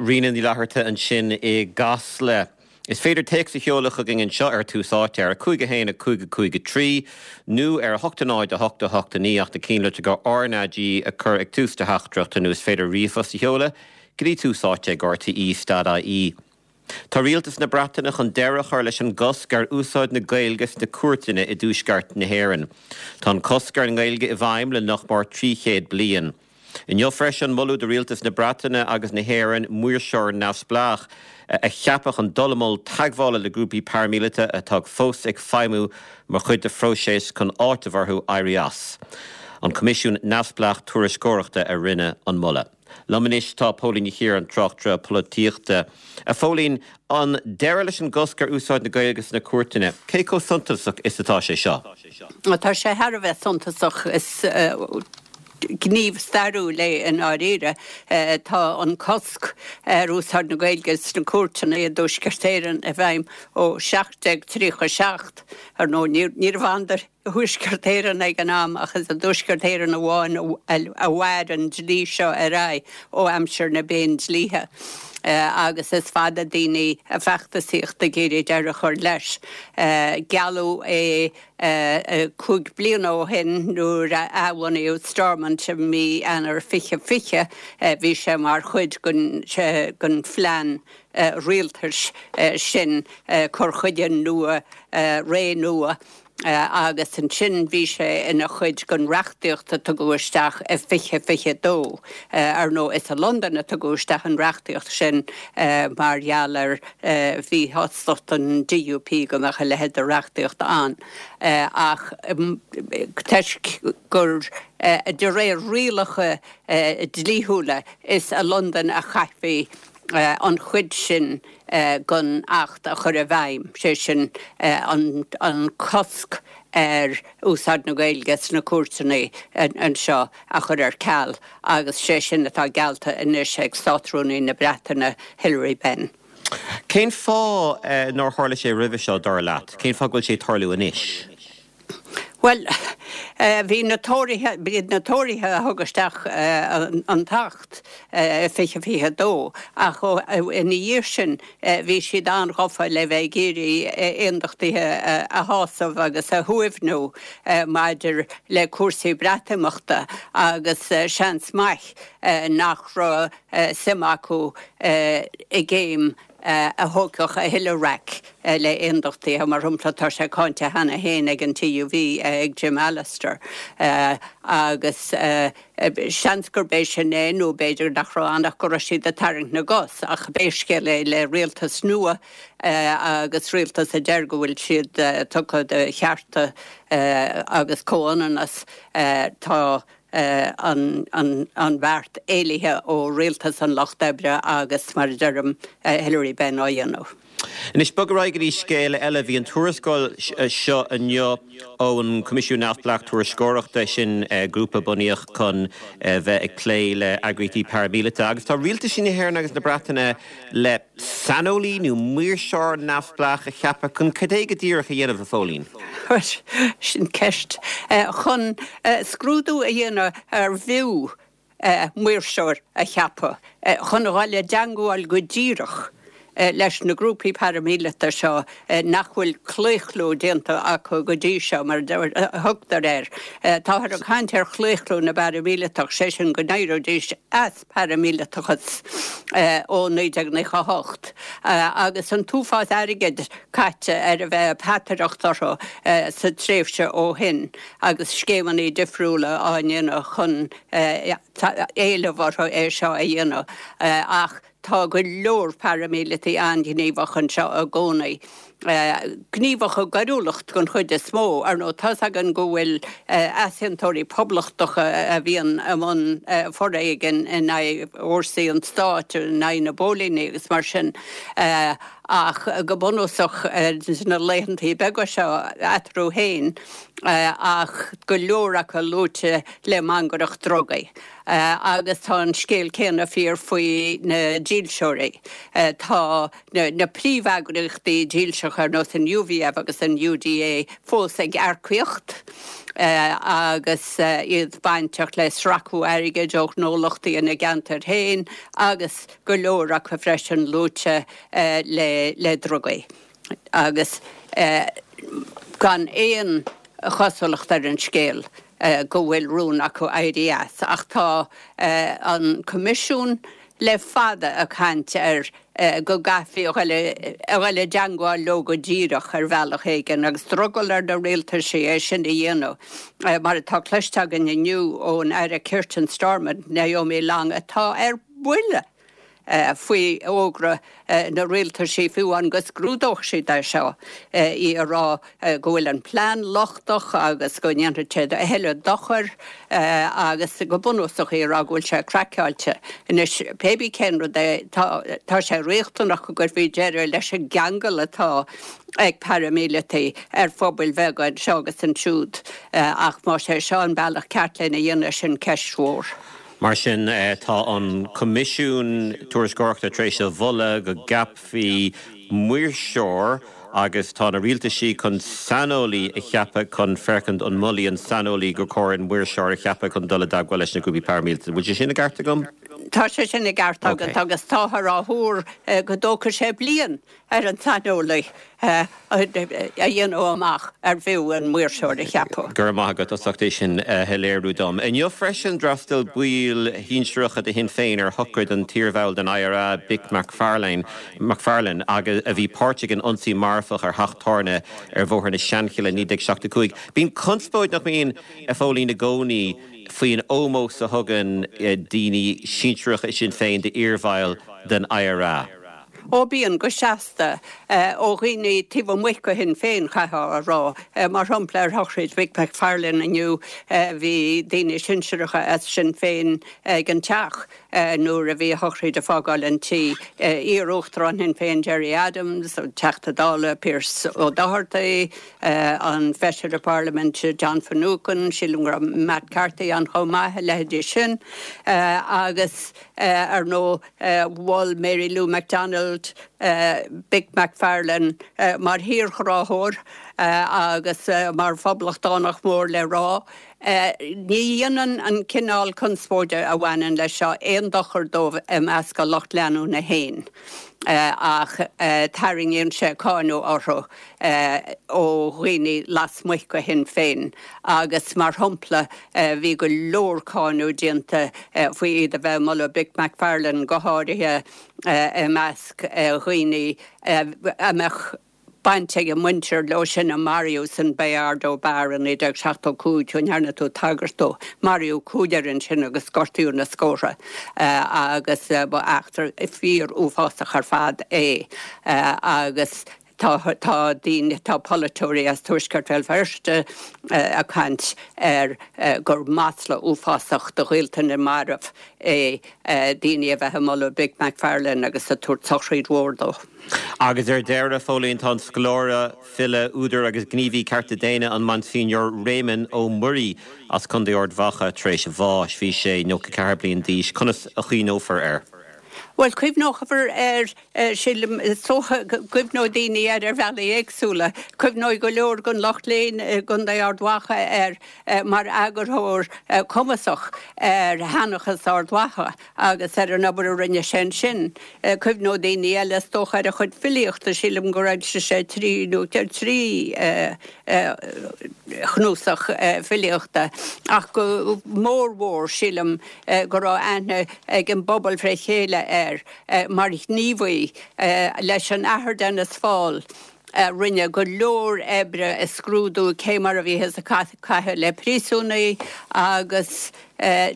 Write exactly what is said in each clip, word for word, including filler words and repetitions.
Ríona Ní Fhlatharta ansin i gCasla. Is féidir téacs a sheoladh chugainn anseo ar Tús Áite ar a cúig a haon a cúig a cúig a trí nó ar a hocht a náid a hocht a hocht a naoi ach na cinnlitreacha R N A G a chur ag tús do theachtaireachta nó is féidir ríomhphost a sheoladh go dtí tús áite ag R T E dot I E. Tá rialtas na Breataine chun deireadh a chur leis an gcosc ar úsáid na Gaeilge sna cúirteanna i dtuaisceart na hÉireann. Tá an cosc ar an nGaeilge i bhfeidhm le nach mór trí chéad bliain. Inniu freisin moladh do rialtas na Breataine agus na hÉireann maoirseoir neamhspleách a cheapadh chun dul i mbun teagmhála le grúpaí paraimíleata atá fós ag feidhmiú mar chuid de phróiseas chun áiteamh orthu éirí as. An Coimisiún Neamhspleách Tuairisceoireachta a rinne an moladh. Liom anois tá Póilín Ní Chiaráin, tráchtaire polaitíochta. A Phóilín, an deireadh leis an gcosc ar úsáid na Gaeilge sna cúirteanna, cé chomh suntasach is atá sé seo? Tá sé thar a bheith suntasach. Is gníomh stairiúil é i ndáiríre. Tá an cosc ar úsáid na Gaeilge sna cúirteanna i dTuaisceart Éireann i bhfeidhm ó seacht déag tríocha seacht. Ar ndóigh, níorbh ann do Thuaisceart Éireann ag an am, ach is i dTuaisceart Éireann amháin a mhair an dlí seo ar aghaidh ó aimsir na bPéindlíthe. Agus is fada daoine ag feachtasaíocht ag iarraidh deireadh a chur leis. Gealladh é cúig bliana ó shin nuair a athbhunaíodh Stormont i mí Eanáir fiche fiche, bhí sé mar chuid den phlean rialtais sin, cur chuige nua, ré nua. Agus ansin bhí sé ina chuid den reachtaíocht a tugadh isteach i fiche fiche dó. Ar ndóigh, is i Londain a tugadh isteach an reachtaíocht sin mar gheall ar mhíshástacht an D U P go mbeadh a leithéid de reachtaíocht ann. Ach toisc gur de réir rialacha dlíthiúla is i Londain a chaithfí an chuid sin den acht a chur i bhfeidhm, sé sin an cosc ar úsáid na Gaeilge sna cúirteanna anseo a chur ar ceal, agus sé sin atá geallta anois ag Státrúnaí na Breataine, Hilary Benn. Cén fáth nár tharla sé roimhe seo, dar leat? Cén fáth go bhfuil sé ag tarlú anois? Bhuel, bhí na Tóraithe, b'iad na Tóraithe a thug isteach an tAcht fiche fiche dó, ach ina dhiaidh sin bhí siad an-ghafa le bheith ag iarraidh aondachtaithe a shásamh agus a shuaimhniú maidir le cúrsaí Breatimeachta, agus seans maith nach raibh suim acu i gcéim a thógfadh a thuilleadh raic le aondachtaithe. Mar shampla, tá sé cáinte cheana féin ag an T U V, ag Jim Allister, agus seans gurb é sin é, nó b'fhéidir nach raibh ann ach go raibh siad ag tarraingt na gcos. Ach pé scéal é, le rialtas nua agus rialtas a deir go bhfuil siad tugtha do chearta agus comhionannas, tá an bheart éilithe ó rialtas an Lucht Oibre agus, mar a deirim, Hilary Benn á dhéanamh. Anois bog ar aghaidh go dtí scéal eile. Bhí an tuarascáil seo inniu ón Coimisiún Neamhspleách Tuairisceoireachta, sin grúpa bunaíodh chun bheith ag plé le eagraíochtaí paraimíleata, agus tá rialtais na hÉireann agus na Breataine le saineolaí nó maoirseoir neamhspleách a cheapadh chun cad é go díreach a dhéanamh, a Phóilín? Sin ceist. Chun scrúdú a dhéanamh ar bhfiú maoirseoir a cheapadh chun a dhul i dteangmháil go díreach leis na grúpaí paraimíleata seo nach bhfuil claochlú déanta acu go dtí seo, mar a thugtar air. Táthar ag caint ar chlaochlú na bparaimíleatach, sé sin go n-éireoidís as paraimíleatachas ó naoi déag nócha a hocht, agus an t-uafás airgid caite ar a bheith ag peataireacht orthu sa tréimhse ó shin agus scéimeanna difriúla á ndéanamh chun éileamh orthu é seo a dhéanamh, ach tá go leor paraimíleataigh an-ghníomhach anseo i gcónaí. Gníomhach i gcoiriúlacht den chuid is mó. Ar ndóigh, tá's againn go bhfuil easaontóirí poblachtacha a bhíonn i mbun foréigin in aghaidh fhórsaí an stáit, in aghaidh na bpóilíní agus mar sin, ach go bunúsach sna laethantaí beaga seo eatarthu féin, ach go leor acu luaite le mangaireacht drugaí. Agus tá an scéal céanna fíor faoi na dílseoirí. Tá na príomheagraíochtaí dílseacha ar nós an U V F agus an U D A fós ag earcaíocht agus iad bainteach le sracadh airgid ó ghnólachtaí ina gceantar féin agus go leor acu freisin luaite le le drugaí. Agus gan aon chosúlacht ar an scéal go bhfuil rún acu éirí as, ach tá an Coimisiún le fada ag caint ar go gcaithfí a dhul i dteagmháil leo go díreach ar bhealach éigin agus drogall ar na rialtaisí é sin a dhéanamh. Mar atá cloiste againn inniu ón Aire Cirt in Stormont, Naomi Long, atá ar buile faoi fhógra na rialtaisí fiú an go scrúdódh siad é seo, í ag rá go bhfuil an plean lochtach agus go ndéanfaidh sé a thuilleadh dochair agus go bunúsach í ag rá go bhfuil sé craiceáilte. Anois pé cén rud é, tá sé riachtanach go gcuirfí deireadh leis an gceangal atá ag paraimíleataigh ar phobail bheaga anseo agus ansiúd, ach más é seo an bealach ceart lena dhéanamh, sin ceist mhór. Mar sin, tá an Coimisiún Tuairisceoireachta tar éis a mholadh go gceapfaí maoirseoir agus tá na rialtaisí chun saineolaí a cheapadh chun féachaint an molfaidh an saineolaí gur chóir an maoirseoir a cheapadh chun dul i dteagmháil leis na grúpaí paraimíleata. Bhfuil sé sin i gceart agam? Tá sé sin i gceart agat agus táthar á thuar go dtógfaidh sé bliain ar an saineolaí a dhéanamh amach ar bhfiú an maoirseoir a cheapadh. Gur maith agat as ucht é sin a shoiléiriú dom. Inniu freisin, d'fhreastail baill shinsearacha de Shinn Féin ar shochraid an t-iarbhaill den I R A Mick McFarlane McFarlane agus a bhí páirteach in ionsaí marfach ar theach tábhairne ar Bhóthar na Seanchille naoi déag seachtó a cúig. Bíonn conspóid, nach mbíonn, a Phóilín, i gcónaí faoin ómós a thugann daoine sinsearacha Sinn Féin d'iarbhaill den I R A. Ó, bíonn go seasta ó dhaoine taobh amuigh de Shinn Féin, chaithfeá a rá. Mar shampla, ar shochraid Mick McFarlane inniu, bhí daoine sinsearacha as Sinn Féin ag an teach nuair a bhí a shochraid ag fágáil an tí. Iar-uachtarán Shinn Féin Gerry Adams, an Teachta Dála Pearse Ó Dochartaigh, an Feisire Parlaiminte John Finucane, sílim go raibh Matt Carthy ann chomh maith, a leithéidí sin, agus ar ndóigh mhol Mary Lou McDonald Mick McFarlane mar thírghráthóir agus mar phoblachtánach mór le rá. Ní dhéanann an cineál conspóide a bhaineann leis seo aon dochar dóibh i measc a lucht leanúna féin, ach tarraingíonn sé cáineadh orthu ó dhaoine lasmuigh de Shinn Féin, agus mar shampla bhí go leor cáineadh déanta faoi iad a bheith moladh Mick McFarlane, go háirithe i measc dhaoine a mbeadh baint ag a muintir leo sin a maraíodh san Bayardo Bar in naoi déag seachtó cúig, go ndearna tú tagairt dó. Maraíodh cúigear ansin agus gortaíodh na scórtha, agus ba eachtra fíor uafásach ar fad é, agus tá tá daoine, tá polaiteoirí as Tuaisceart Bhéal Feirste ag caint ar gur masla uafásach do ghaolta na marbh é daoine a bheith ag moladh Mick McFarlane agus ag tabhairt sochraid mhór dó. Agus ar deireadh, Phóilín, tá an scoláire, file, údar agus gníomhaí cearta daonna, an Monsignor Réamonn Ó Muirí as Contae Ard Mhacha, tar éis bháis. Bhí sé nócha ceathair bliain d'aois. Conas a chuimhneofar air? Well, cuimhneofar air, sílim, cuimhneoidh daoine air ar bhealaí éagsúla. Cuimhneoidh go leor den lucht léinn i gContae Ard Mhacha air mar eagarthóir cumasach ar Sheanchas Ard Mhacha agus ar an obair a rinne sé ansin. Cuimhneoidh daoine eile, is dócha, ar a chuid filíochta. Sílim gur fhoilsigh sé trí nó trí chnuasach filíochta, ach go mórmhór sílim go raibh aithne ag an bpobal fré chéile air mar ghníomhaí leis an Athair Denis Faul, rinne go leor oibre a scrúdú cé mar a bhíothas ag caitheamh le príosúnaigh agus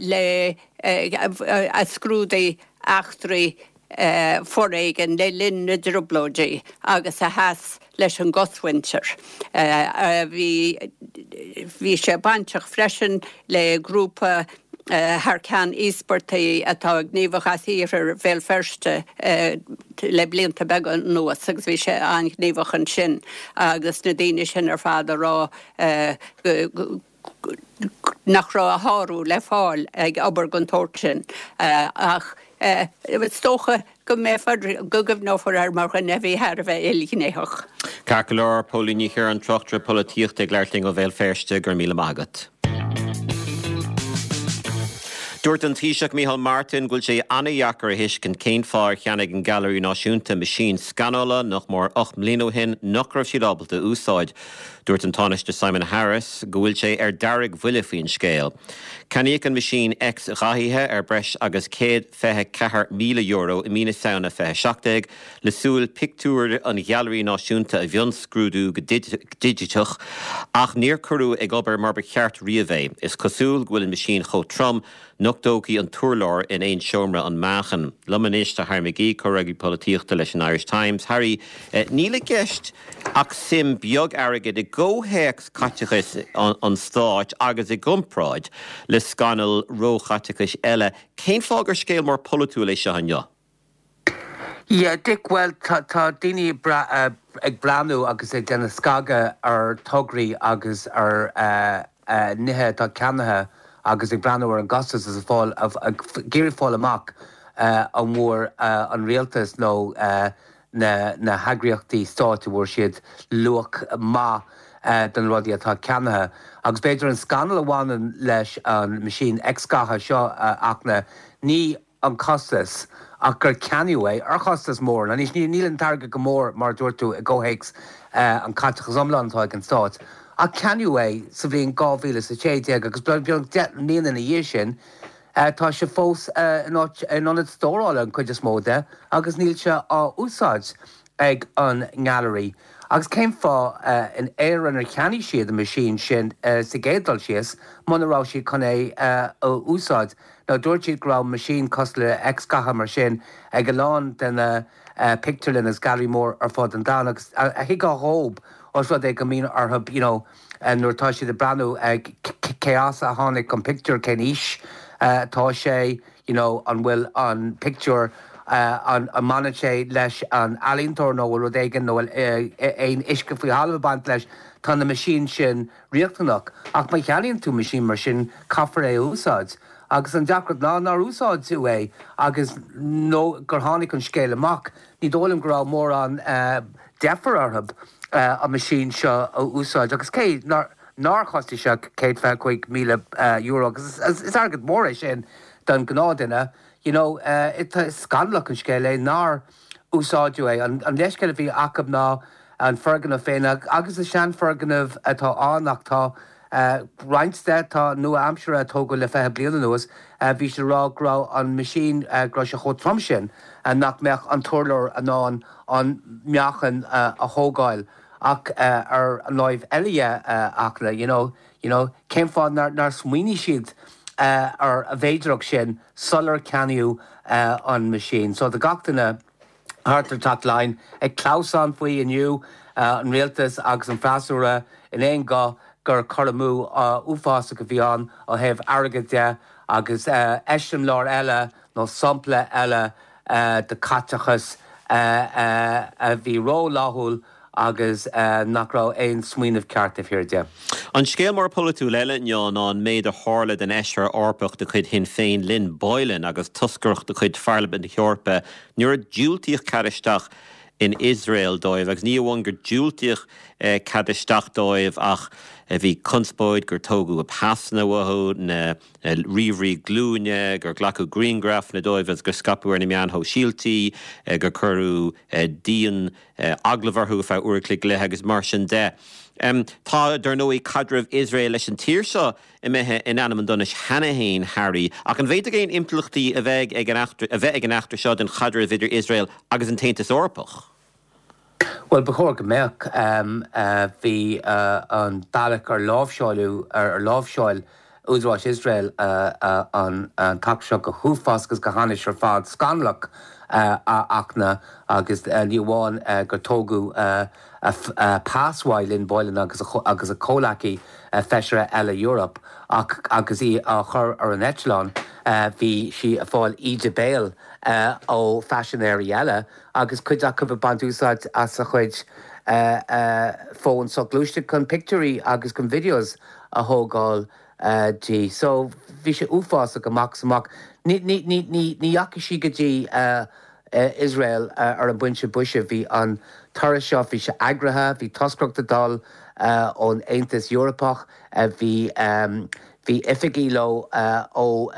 le a scrúdaigh eachtraí foréigin le linn na dTrioblóidí agus a sheas leis an gcosmhuintir. Bhí bhí sé bainteach freisin le grúpa thar ceann íospartaigh atá gníomhach as iarthar Bhéal Feirste le blianta beaga anuas, agus bhí sé an-ghníomhach ansin agus na daoine sin ar fad a rá nach raibh a shárú le fáil ag obair den tsórt sin, ach is dócha go mbeifear, go gcuimhneofar air mar dhuine a bhí thar a bheith ilghnéitheach. Ceart go leor, Póilín Ní Chiaráin, tráchtaire polaitíochta ag labhairt linn ó Bhéal Feirste, go raibh míle maith agat. Dúirt an Taoiseach Micheál Martin go bhfuil sé an-deacair a thuiscint cén fáth ar cheannaigh an Gailearaí Náisiúnta meaisín scanála nach mór ocht mbliana ó shin nach raibh siad ábalta a úsáid. Dúirt an Tánaiste Simon Harris go bhfuil sé ar deargbhuile faoin scéal. Ceannaíodh an meaisín X-ghathaithe ar breis agus céad fiche ceathair míle euro i mí na Samhna fiche seacht déag le súil pictiúir an Ghailearaí Náisiúnta a mhionscrúdú go digiteach ach níor cuireadh ag obair mar ba cheart riamh é. Is cosúil go bhfuil an meaisín chomh trom nach dtógfaidh an t-urlár in aon seomra an meáchan. Liom anois tá Harry McGee, comhfhreagraí polaitíochta leis an Irish Times. Harry, níl i gceist ach suim beag airgid i gcomhthéacs caiteachais an stáit agus i gcomparáid le scannail róchaiteachais eile. Cén fáth gur scéal mór polaitiúil é seo inniu? Yeah, Dick, bhuel, tá tá daoine ag breathnú agus ag déanamh scagadh ar tograí agus ar nithe atá ceannaithe agus ag breathnú ar an gcostas is ag fáil, ag iarraidh fáil amach an bhfuair an rialtas nó na na heagraíochtaí stáit an bhfuair siad luach maith do na rudaí atá ceannaithe. Agus b'fhéidir an scannal a bhaineann leis an meaisín X-ghatha seo ach ná ní an costas ach gur ceannaíodh é ar chostas mór. Anois níl an t-airgead go mór mar a dúirt tú i gcomhthéacs an caiteachas iomlán atá ag an stát ach ceannaíodh é sa bhliain dhá mhíle is a sé déag agus beagnach deich mbliana ina dhiaidh sin tá sé fós in áit in ionad stórála an chuid is mó de agus níl sé á úsáid ag an nGailearaí. Agus cén fáth in Éirinn ar cheannaigh siad an meaisín sin sa gcéad dul síos muna raibh siad chun é a úsáid? Now dúirt siad go raibh meaisín cosúil le X-ghatha mar sin ag a lán de na pictiúrlanna agus gailearaí mór ar fud an domhain agus thuigfeá dhób os rud é go mbíonn orthu you know nuair atá siad ag breathnú cé as a tháinig an pictiúr, cén aois atá sé, you know an bhfuil an pictiúr an mbaineann sé leis an ealaíontóir nó bhfuil rud éigin nó bhfuil aon uisce faoi thalamh ag baint leis, tá na meaisín sin riachtanach. Ach má cheannaíonn tú meaisín mar sin caithfear é a úsáid. Agus an deacracht ná nár úsáideadh é agus nó gur tháinig an scéal amach, ní dóigh liom go raibh mórán deifir orthu an meaisín seo a úsáid. Agus cé nár nár chostaigh sé céad fiche cúig míle euro, agus is airgead mór é sin don ghnáthduine, you know, is scannalach an scéal é nár úsáideadh é. An leithscéal a bhí acu ná an foirgneamh féin agus is seanfhoirgneamh atá ann ach tá roinnt de atá nua-aimseartha a tógadh le fiche bliain anuas, bhí siad ag rá go raibh an meaisín, go raibh sé chomh trom sin nach mbeadh an t-urlár in ann an meáchan a thógáil. Ach ar an láimh eile dhe, Fhachtna, you know, you know, cén fáth nár, nár smaoinigh siad ar an bhféidearthacht sin sular ceannaíodh an meaisín? So tá gach duine thart ar Teach Laighean ag clamhsán faoi inniu, an rialtas agus an freasúra in aon ghuth gur cur amú uafásach a bhí ann ó thaobh airgid de agus eiseamláir eile nó sampla eile de chaiteachas a bhí rófhlaithiúil agus nach raibh aon smaoineamh ceart taobh thiar de. An scéal mór polaitiúil eile inniu ná an méid a tharla don fheisire Eorpach de chuid Shinn Féin, Lynn Boylan, agus toscaireacht de chuid Pharlaimint na hEorpa nuair a diúltaíodh cead isteach in Iosrael dóibh. Agus ní amháin gur diúltaíodh cead isteach dóibh ach bhí conspóid gur tógadh a bpasanna uathu, na ríomhairí glúine, gur glacadh grianghrafanna dóibh agus gur scaipeadh ar na meáin shóisialta, gur cuireadh dian agallamh orthu ar feadh uair a chloig go leith agus mar sin de. Tá, dar ndóigh, caidreamh Iosrael leis an tír seo imithe in ainm an donais cheana féin, Harry, ach an bhféadfadh aon impleachtaí a bheidh ag an eachtra, a bheith ag an eachtra seo don chaidreamh idir Iosrael agus an tAontas Eorpach? Bhuel, ba chóir go mbeadh. Bhí an bealach ar láimhseáileadh, ar láimhseáil údaráis Iosrael an t-eachtra seo go huafásach agus go hainnis ar fad, scannalach a Fhachtna, agus ní amháin gur tógadh a pas uaidh Lynn Boylan agus agus a comhleacaí feisire eile Eorpach ach agus í á chur ar an eitleán bhí sí ag fáil íde béil ó phaisinéirí eile agus cuid acu ag baint úsáid as a chuid fón soghluaiste chun pictiúirí agus chun videos a thógáil di. So bhí sé uafásach amach is amach. Ní ní ní ní ní dheachaigh sí go dtí Iosrael ar an bpointe boise. Bhí an turas seo, bhí sé eagraithe, bhí toscaireacht ag dul ón Aontas Eorpach, bhí bhí oifigigh leo ó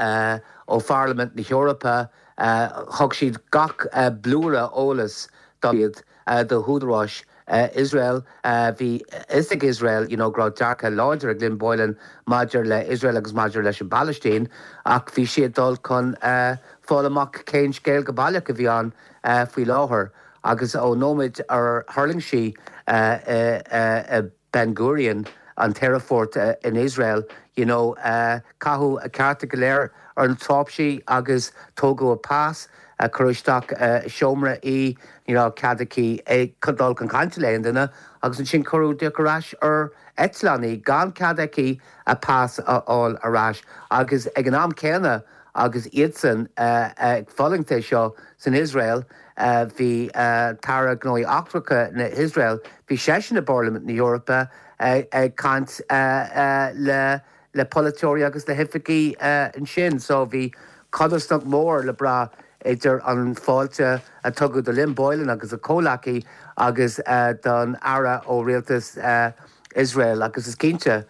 ó Pharlaimint na hEorpa, thug siad gach blúire eolas do iad do húdaráis Iosrael. Bhí fhios ag Iosrael you know go raibh dearcadh láidir ag Lynn Boylan maidir le Iosrael agus maidir leis an bPalaistín ach bhí siad dul chun fáil amach cén scéal go baileach a bhí ann faoi láthair agus ón nóiméad ar thuirling sí i Ben Gurion, an t-aerfort in Iosrael, you know caitheadh a cárta go léir ar na tráipsí agus tógadh a pas, cuireadh isteach i seomra í, ní raibh cead aici dul chun cainte le haon duine agus ansin cuireadh díreach ar ais ar eitleán í gan cead aici a pas a fháil ar ais agus ag an am céanna agus iadsan ag fulaingt é seo san Iosrael bhí tAire Gnóthaí Eachtracha na hIosrael, bhí seisean i bParlaimint na hEorpa ag caint le le polaiteoirí agus le hoifigigh ansin so bhí codarsnacht mhór le brath idir an fáilte a tugadh do Lynn Boylan agus a comhleacaí agus don Aire ó rialtas Iosrael agus is cinnte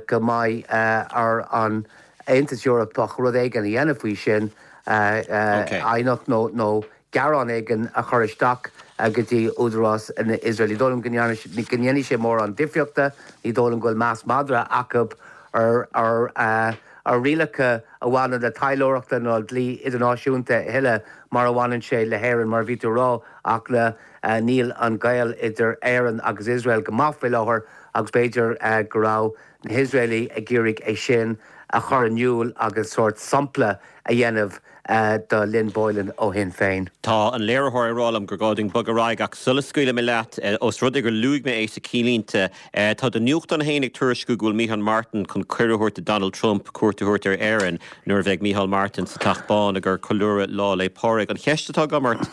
go mbeidh ar an Aontas Eorpach rud éigin a dhéanamh faoi sin, aighneacht nó gearán éigin a chur isteach go dtí údarás na Iosrael. Ní dóigh liom go ndéanfaidh sé mórán difríochta, ní dóigh liom go bhfuil meas madra acu ar ar rialacha a bhaineann le taidhleoireachta nó dlí idirnáisiúnta a thuilleadh mar a bhaineann sé le hÉirinn. Mar a bhí tú a rá, ach le níl an gaol idir Éirinn agus Iosrael go maith faoi láthair agus b'fhéidir go raibh na hIosraelaigh ag iarraidh é sin a chur in iúl agus sórt sampla a dhéanamh do Lynn Boylan ó Shinn Féin. Tá an léiritheoir ag rá liom gur gá dúinn bogadh ar aghaidh ach sula scaoilfidh mé leat, ós rud é gur luaigh mé é sa cinnlínte, tá do nuachtán féin ag tuairisciú go bhfuil Micheál Martin chun cuireadh a thabhairt do Donald Trump cuairt a thabhairt ar Éirinn nuair a bheidh Micheál Martin sa Teach Bán ag ceiliúradh Lá 'le Pádraig. An cheist atá agam ort,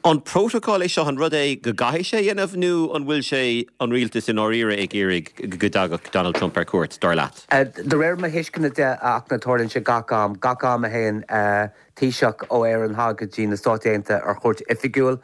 an prótacal é seo, an rud é go gcaithfidh sé a dhéanamh nó an bhfuil sé an rialtas i ndáiríre ag iarraidh go dtagadh Donald Trump ar cuairt, dar leat? De réir mo thuisceana de, ach na tarlaíonn sé gach am, gach am a théann Taoiseach ó Éirinn thall go dtí na Stáit Aontaithe ar chuairt oifigiúil,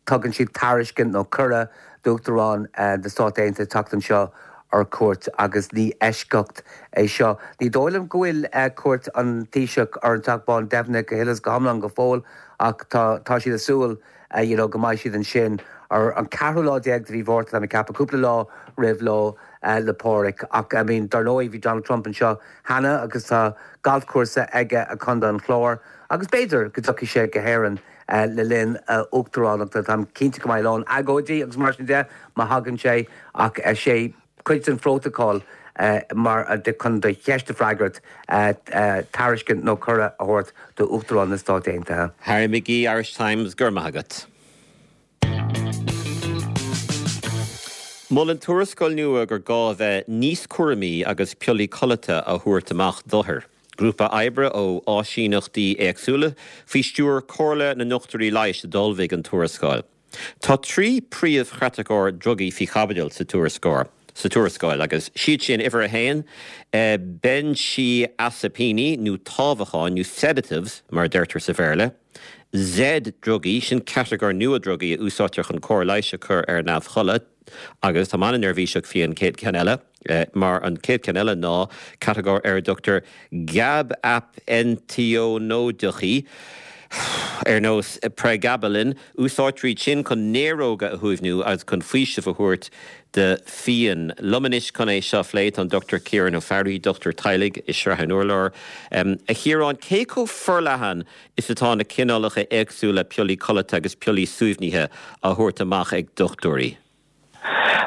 tugann siad tairiscint nó cuireadh d'Uachtarán na Stát Aontaithe teacht anseo ar cuairt agus ní eisceacht é seo. Ní dóigh liom go bhfuil cuairt an Taoiseach ar an Teach Bán deimhnithe go huile is go hiomlán go fóill ach tá tá siad ag súil you know go mbeidh siad ansin ar an ceathrú lá déag de mhí Mhárta, tá mé ag ceapadh, cúpla lá roimh Lá 'le Pádraig. Ach I mean dar ndóigh bhí Donald Trump anseo cheana agus tá galfchúrsa aige i gContae an Chláir agus b'fhéidir go dtiocfaidh sé go hÉirinn le linn a uachtaránachta. Táim cinnte go mbeidh a lán agóidí agus mar sin de má thagann sé ach is é cuid den phrótacal mar chun do cheist a freagairt, tairiscint nó cuireadh a thabhairt d'Uachtarán na Stát Aontaithe. Harry McGee, Irish Times, go raibh maith agat. Molann tuarascáil nua gur gá a bheith níos cúramaí agus piollaí codlata á thabhairt amach d'othair. Grúpa oibre ó áisíneachtaí éagsúla faoi stiúir Comhairle na nDochtúirí Leighis a d'ullmhaigh an tuarascáil. Tá trí príomhchatagóir drugaí faoi chaibidil sa tuarascáil sa tuarascáil agus siad sin, uimhir a haon, beinsidheasaipíní nó támhacháin nó sedatives mar a deirtear sa Bhéarla, Z-drugaí, sin catagóir nua drugaí a úsáidtear chun cóir leighis a chur ar neamhchodladh agus táim an-neirbhíseach faoi an chéad cheann eile mar an chéad cheann eile ná catagóir ar a dtugtar gabaipeinteonóideacha ar nós pregabalin, úsáidtear iad sin chun néaróga a shuaimhniú agus chun faoiseamh a thabhairt do phian. Liom anois chun é seo a phlé tá an Dochtúir Ciarán Ó Fearraigh, dochtúir teaghlaigh i Srath an Urláir. A Chiaráin, cé chomh forleathan is atá na cineálacha éagsúla piollaí codlata agus piollaí suaimhnithe á thabhairt amach ag dochtúirí?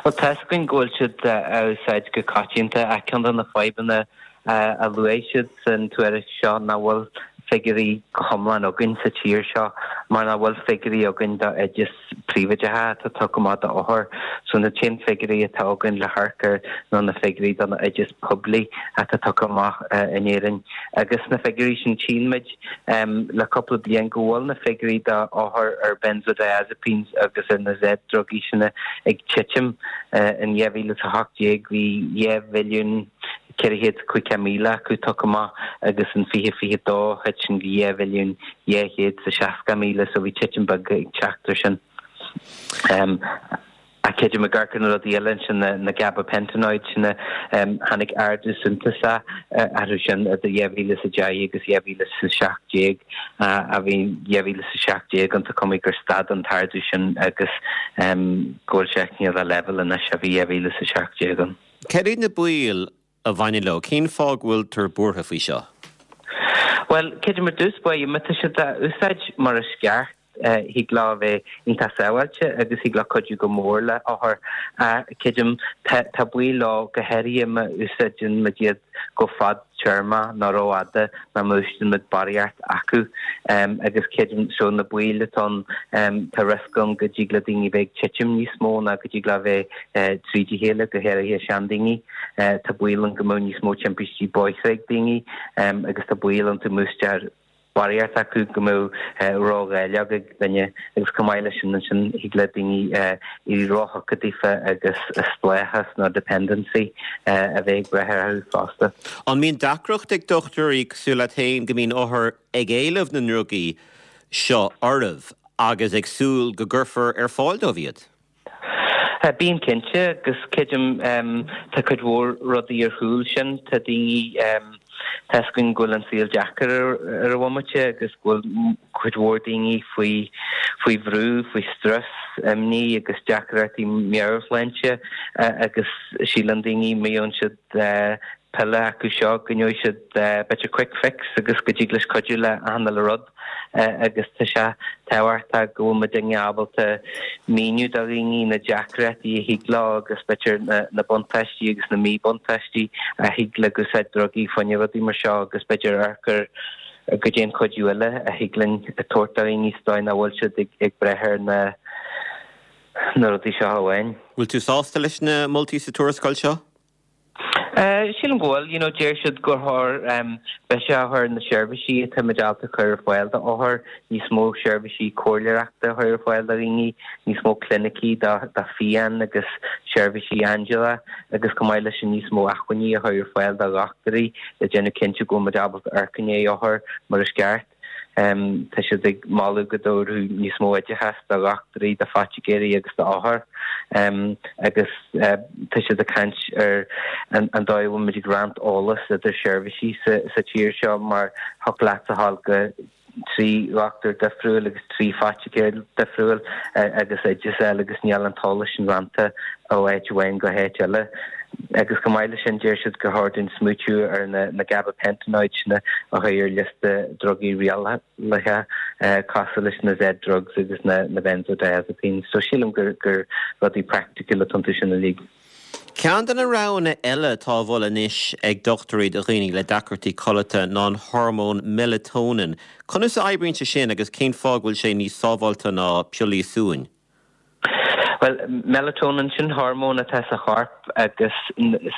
Bhuel, tá's againn go bhfuil siad á úsáid go coitianta ach ceann de na fadhbanna a luaigh siad san tuairisc seo nach bhfuil figiúirí go hiomlán againn sa tír seo mar nach bhfuil figiúirí againn do oideas príobháideacha atá tugtha amach do othair. So na t-aon figiúirí atá againn le hamharc air ná na figiúirí do na oideas poiblí atá tugtha amach in Éirinn. Agus sna figiúirí sin tchíonn muid le cúpla bliain go bhfuil na figiúirí do othair ar benzodiazepines agus ar na Z-drugaí sin ag titim. In dhá mhíle is a hocht déag bhí dhá mhilliún ceithre chéad is caoga míle acu tugtha amach agus in fiche fiche dó thit sin go dhá mhilliún dhá chéad is a seasca míle so bhí titim beag ag teacht ar sin. Ach creidim ag amharc ar na rudaí eile ansin na gabapentinoids sin tháinig ardú suntasach orthu sin idir dhá mhíle is a deich agus dhá mhíle is a seacht déag a bhí dhá mhíle is a seacht déag an tá cuma gur stad an t-ardú sin agus go bhfuil sé cineál ar leibhéal anois a bhí dhá mhíle is a seacht déag ann. Cad iad na baoil a bhaineann leo? Cén fáth go bhfuiltear buartha faoi seo? Bhuel, creidim ar dtús báire, má tá siad á úsáid mar is ceart, thig leo a bheith iontach sábháilte agus thig leo cuidiú go mór le othair. Creidim, tá baol leo, go háirithe má úsáideann muid iad go fadtéarmach nó rófhada nó má úsáideann muid barraíocht acu. Agus creidim, so na baoil atá ann, tá riosca ann go dtig le daoine bheith ag titim níos mó ná go dtig leo bheith tríd a chéile, go háirithe seandaoine. Tá baol ann go mbeadh níos mó timpistí bóithre ag daoine agus tá baol ann má úsáidtear barraíocht acu go mbeadh ródháileog ag duine agus chomh maith leis sin ansin thig le daoine éirí róthugtha daofa agus spleáchas nó dependency a bheith ag brath orthu fosta. An mbíonn deacracht ag dochtúirí cosúil leat féin go mbíonn othair ag éileamh na ndrugaí seo oraibh agus ag súil go gcuirfear ar fáil dóibh iad? Bíonn cinnte agus creidim tá cuid mhór rudaí ar chúl sin. Tá daoine, tá fhios againn go bhfuil an saol deacair ar an bhomaite agus go bhfuil cuid mhór daoine faoi faoi bhrú, faoi strus, imní agus deacrachtaí meabhairshláinte agus síleann daoine má fhaigheann siad piolla acu seo go ngeobhaidh siad b'fhéidir quick fix agus go dtig leis cuidiú le achan uile rud agus tá sé tábhachtach go bhfuil muidinne ábalta míniú do dhaoine na deacrachtaí a thig leo agus b'fhéidir na buntáistí agus na míbhuntáistí a thig le úsáid drugaí fá choinne rudaí mar seo agus b'fhéidir amharc ar goidé an cuidiú eile a thig linn a tabhairt do dhaoine sa dóigh nach bhfuil siad ag brath ar na na rudaí seo amháin. Bhfuil tú sásta leis na moltaí sa tuarascáil seo? Sílim go bhfuil. You know, deir siad gur chóir béim a chur ar na seirbhísí atáimid ábalta cur ar fáil d'othair, níos mó seirbhísí comhairleoireachta a chur ar fáil do dhaoine, níos mó clinicí do phian agus seirbhísí aindiaila agus chomh maith leis sin níos mó acmhainní a chur ar fáil do dhochtúirí le déanamh cinnte go bhfuil muid ábalta amharc i ndiaidh othar mar is ceart. Tá siad ag moladh go dtabharfaí níos mó oideachas do dhochtúirí, do phoiticéirí agus d'othair agus tá siad ag caint ar an dóigh a bhfuil muid ag roinnt eolas idir seirbhísí sa tír seo mar thiocfadh leat a ghabháil go trí dhochtúir difriúil agus trí phoiticéir difriúil agus oideas eile agus níl an t-eolas sin roinnte ó áit amháin go háit eile. Agus chomh maith leis sin, deir siad gur chóir dúinn smaoitiú ar na gabapentinoids sin a chur ar liosta drugaí rialaithe, cosúil leis na Z-drugs agus na benzodiazepines. So sílim gur rudaí praiticiúla atá iontu sin uilig. Ceann de na roghanna eile atá á mholadh anois ag dochtúirí do dhaoine le deacrachtaí codlata ná an hormón melatonin. Conas a oibríonn sé sin agus cén fáth go bhfuil sé níos sábháilte ná piollaí suain? Bhuel, melatonin, sin hormón atá sa chorp agus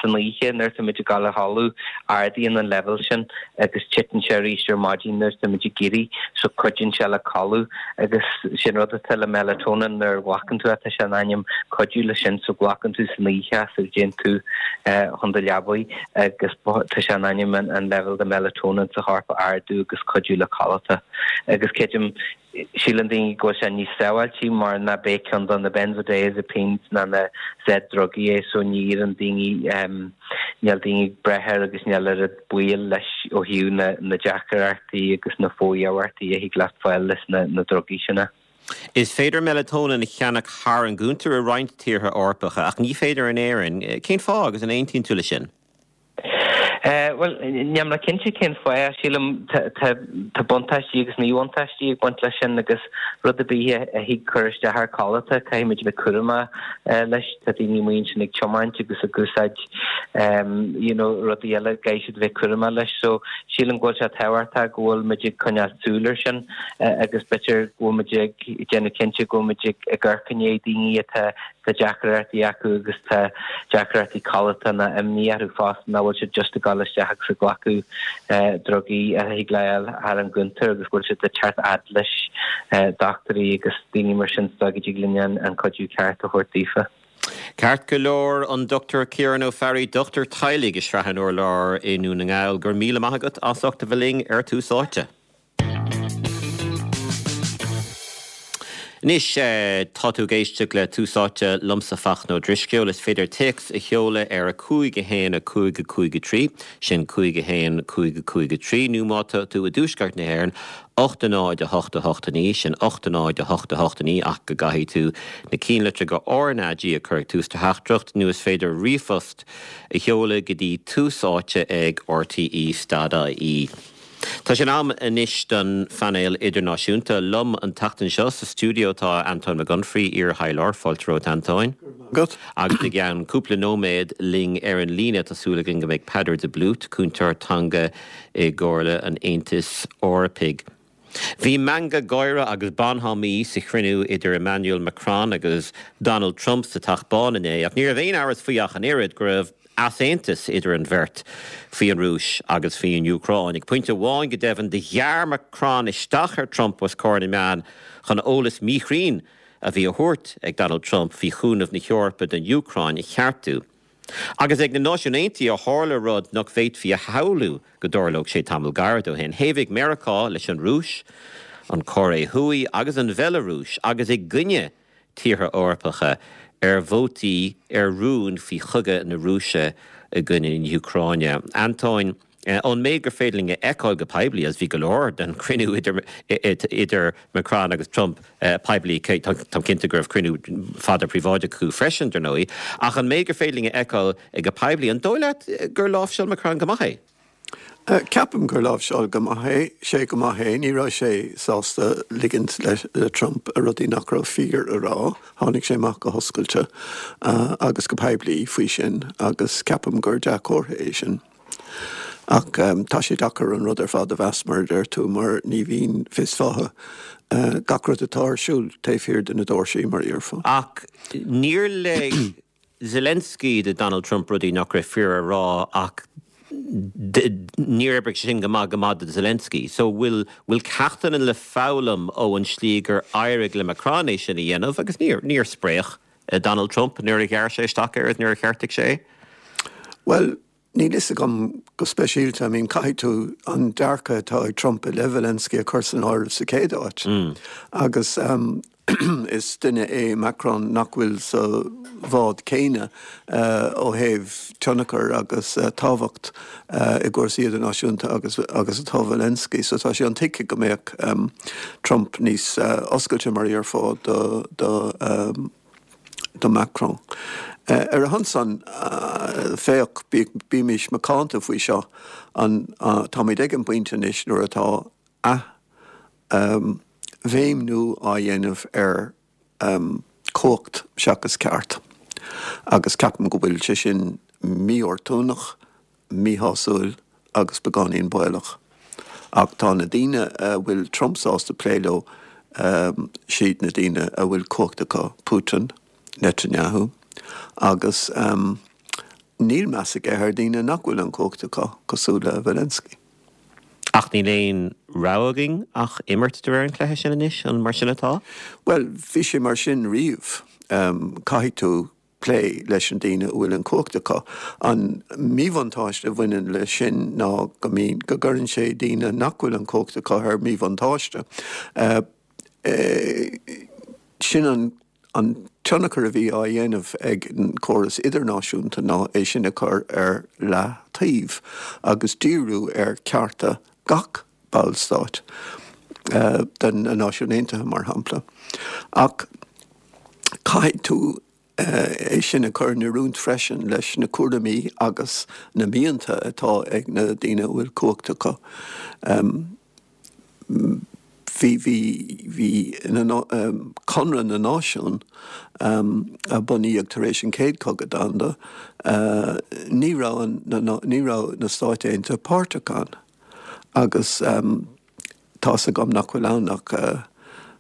san oíche nuair atáimid ag dul a chodladh, ardaíonn an leibhéal sin agus titeann sé arís ar maidin nuair atáimid ag éirí, so cuidíonn sé le codladh agus sin rud atá le melatonin nuair a ghlacann tú é, tá sé in ainm cuidiú leis sin, so glacann tú san oíche é sula dtéann tú chun do leabaidh agus tá sé in ainm an leibhéal de melatonin sa chorp a ardú agus cuidiú le codlata agus creidim Síleann daoine go bhfuil sé níos sábháiltí mar ná b'é ceann de na benzodiazepines ná na Z-drugaí é so ní iarrann daoine, níl daoine ag brath air agus níl oiread baol leis ó thaobh na na deacrachtaí agus na fo-iarmhairtí a thig leat fáil leis na na drugaí sin. Is féidir melatonin a cheannach thar an gcuntar i roinnt tíortha Eorpacha ach ní féidir in Éirinn. Cén fáth agus an aontaíonn tú leis sin? Bhuel, níl mé cinnte cén fáth. Sílim tá buntáistí agus míbhuntáistí ag baint leis sin agus rud ar bith a thig cur isteach ar codlata, caithfimid a bheith cúramach leis. Tá daoine amuigh ansin ag tiomáint agus ag úsáid you know rudaí eile, caithfidh siad a bheith cúramach leis. So sílim go bhfuil sé tábhachtach go bhfuil muid ag coinneáil súil air sin agus b'fhéidir go bhfuil muid ag déanamh cinnte go bhfuil muid ag amharc i ndiaidh daoine atá Tá deacrachtaí acu agus tá deacrachtaí codlata nó imní orthu fosta nach bhfuil siad just ag dul isteach agus ag glacadh drugaí a thig le fháil thar an gcuntar agus go bhfuil siad ag teacht fhad leis dochtúirí agus daoine mar sin so go dtig linn an cuidiú ceart a thabhairt daofa. Ceart go leor an Dr Ciarán Ó Fearraigh, dochtúir teaghlaigh i Srath an Urláir i nDún na nGall, go raibh míle maith agat as ucht a bheith linn ar Tús Áite. Anois tá tú ag éisteacht le Tús Áite liomsa Fachtna Ó Drisceoil. Is féidir téacs a sheoladh ar a cúig a haon a cúig a cúig a trí, sin cúig a haon cúig a cúig a trí, nó má tá tú i dtuaisceart na hÉireann, ocht a náid a hocht a hocht a naoi, sin ocht a náid a hocht a hocht a naoi, ach go gcaithfidh tú na cinnlitreacha RnaG a chur ag tús do theachtaireacht, nó is féidir ríomhphost a sheoladh go dtí Tús Áite ag RTÉ stad IE. Tá sé in am anois don phainéal idirnáisiúnta. Liom an tseachtain seo sa stiúideo tá Antóin Mac Unfraidh, iar-thaidhleoir. Fáilte romhat, Antóin. Agat. Agus i gceann cúpla nóiméad linn ar an líne tá súil againn go mbeidh Peadar de Blút, cúntóir teanga i gComhairle an Aontais Eorpaigh. Bhí meangadh gáire agus bonhomie sa chruinniú idir Emmanuel Macron agus Donald Trump sa Teach Bán inné, ach ní raibh aon amhras faoi ach an oiread go raibh easaontas idir an bheirt faoi an Rúis agus faoin Úcráin. Ag pointe amháin go deimhin do ghearr Macron isteach ar Trump os comhair na meán chun eolas míchruinn a bhí á thabhairt ag Donald Trump faoi chúnamh na hEorpa don Úcráin a cheartú. Agus ag na Náisiúin Aontaithe a tharla rud nach bhféadfaí a shamhlú go dtarlódh sé tamall gairid ó shin. Thaobhaigh Meiriceá leis an Rúis, an Chóiré Thuaidh agus an Bhealarúis agus i gcoinne tíortha Eorpacha ar vótaí ar rún faoi chogadh na Rúise i gcoinne na hÚcráine. Antóin, ón méid gur féidir linn a fheiceáil go poiblí, agus bhí go leor den chruinniú idir idir Macron agus Trump poiblí, táim cinnte go raibh cruinniú fada príobháideach acu freisin, dar ndóigh, ach an méid gur féidir linn a fheiceáil go poiblí, an dóigh leat gur láimhseáil Macron go maith é? Ceapaim gur láimhseáil go maith é, sé go maith é, ní raibh sé sásta ligint le Trump a rudaí nach raibh fíor a rá, tháinig sé amach go hoscailte agus go poiblí faoi sin agus ceapaim gur dea-chomhartha é sin. Ach tá sé deacair an rud ar fad a mheas mar a deir tú mar ní bhíonn fios fátha gach rud atá ar siúl taobh thiar de na doirsí mar a déarfá. Ach níor lig Zelensky do Donald Trump rudaí nach raibh fíor a rá ach níor oibrigh sin go maith go maith do Zelensky. So bhfuil bhfuil ceachtanna le foghlaim ó an slí gur éirigh le Macron é sin a dhéanamh agus níor níor spréach Donald Trump nuair a ghearr sé isteach air nuair a cheartaigh sé é? Well, níl fhios agam go speisialta, I mean caithfidh tú an dearcadh atá ag Trump i leith Zelensky a chur san áireamh sa chéad áit. Mm. Agus um, is duine é Macron nach bhfuil sa bhád céanna uh, ó thaobh tionchar agus uh, tábhacht uh, i gcúrsaí idirnáisiúnta agus agus atá Zelensky, so tá sé intuigthe go mbeadh um, Trump níos uh, oscailte mar a déarfá do, do, um, do Macron. Uh, ar a shon san uh, féach bímis macánta faoi seo an uh, táimid ag an bpointe anois nuair atá a um, bhéimniú á dhéanamh ar um, cumhacht seachas ceart. Agus ceapaim go bhfuil sé sin míoportúnach, míshásúil agus beagáinín baolach. Ach tá na daoine a bhfuil Trump sásta plé leo um, siad na daoine a bhfuil cumhacht acu Putin, Netanyahu, agus um, níl meas aige ar daoine nach bhfuil an cumhacht acu cosúil le Zelensky. Ach níl aon rogha againn ach imirt de réir an chluiche sin anois an mar sin atá? Well, bhí sé mar sin riamh um, caithfidh tú plé leis an daoine a bhfuil an cumhacht acu. An míbhuntáiste a bhaineann le sin ná go mbíonn go gcuireann sé daoine nach bhfuil an cumhacht acu ar míbhuntáiste. Uh, uh, sin an an tionchar a bhí á dhéanamh ag an córas idirnáisiúnta ná é sin a chur ar leataobh agus díriú ar cearta gach ballstát uh, den na Náisiúin Aontaithe mar shampla. Ach caithfidh tú uh, é sin a chur in oiriúint freisin leis na cúraimí agus na mianta atá ag na daoine a bhfuil cumhacht acu. Um, bhí bhí bhí um, Conradh na Náisiún um, a bunaíodh tar éis an chéad chogadh domhanda, uh, ní raibh na, ní raibh na Stáit Aontaithe páirteach ann. Agus um, tá agam nach bhfuil ann ach uh,